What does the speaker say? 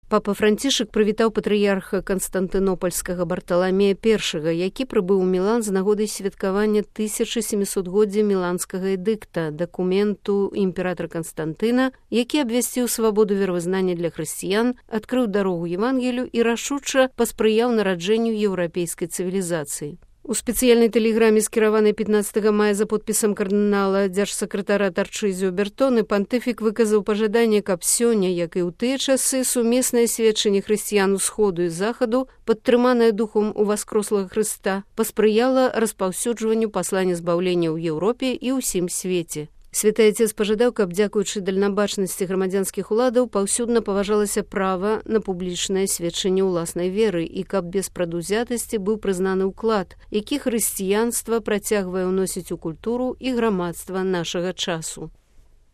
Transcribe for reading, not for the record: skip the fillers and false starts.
Папа Францішак прывітаў патрыярха Канстантынопольскага Барталамея I, які прыбыў у Мілан з нагодай святкавання 1700-годдзя міланскага эдыкта, дакументу імператара Канстантына, які абвясціў свабоду веравызнання для хрысціян, адкрыў дарогу Евангелію і рашуча паспрыяў нараджэнню еўрапейскай цывілізацыі. У спецыяльнай тэлеграме, скіраванай 15 мая за подпісам кардынала дзяржсакратара Тарчызіо Бертоны, пантыфік выказаў пажаданне, каб сёння, як і ў тыя часы, сумеснае сведчанне хрысціян усходу і захаду, падтрыманае духом уваскрослага Хрыста, паспрыяла распаўсюджванню паслання збаўлення ў Еўропе і ўсім свеце. Святы Отец пажадаў, каб, дзякуючы дальнабачнасці грамадзянскіх уладаў, паўсюдна паважалася права на публічнае сведчанне ўласнай веры і каб без прадузятасці быў прызнаны ўклад, які хрысціянства працягвае ўносіць у культуру і грамадства нашага часу.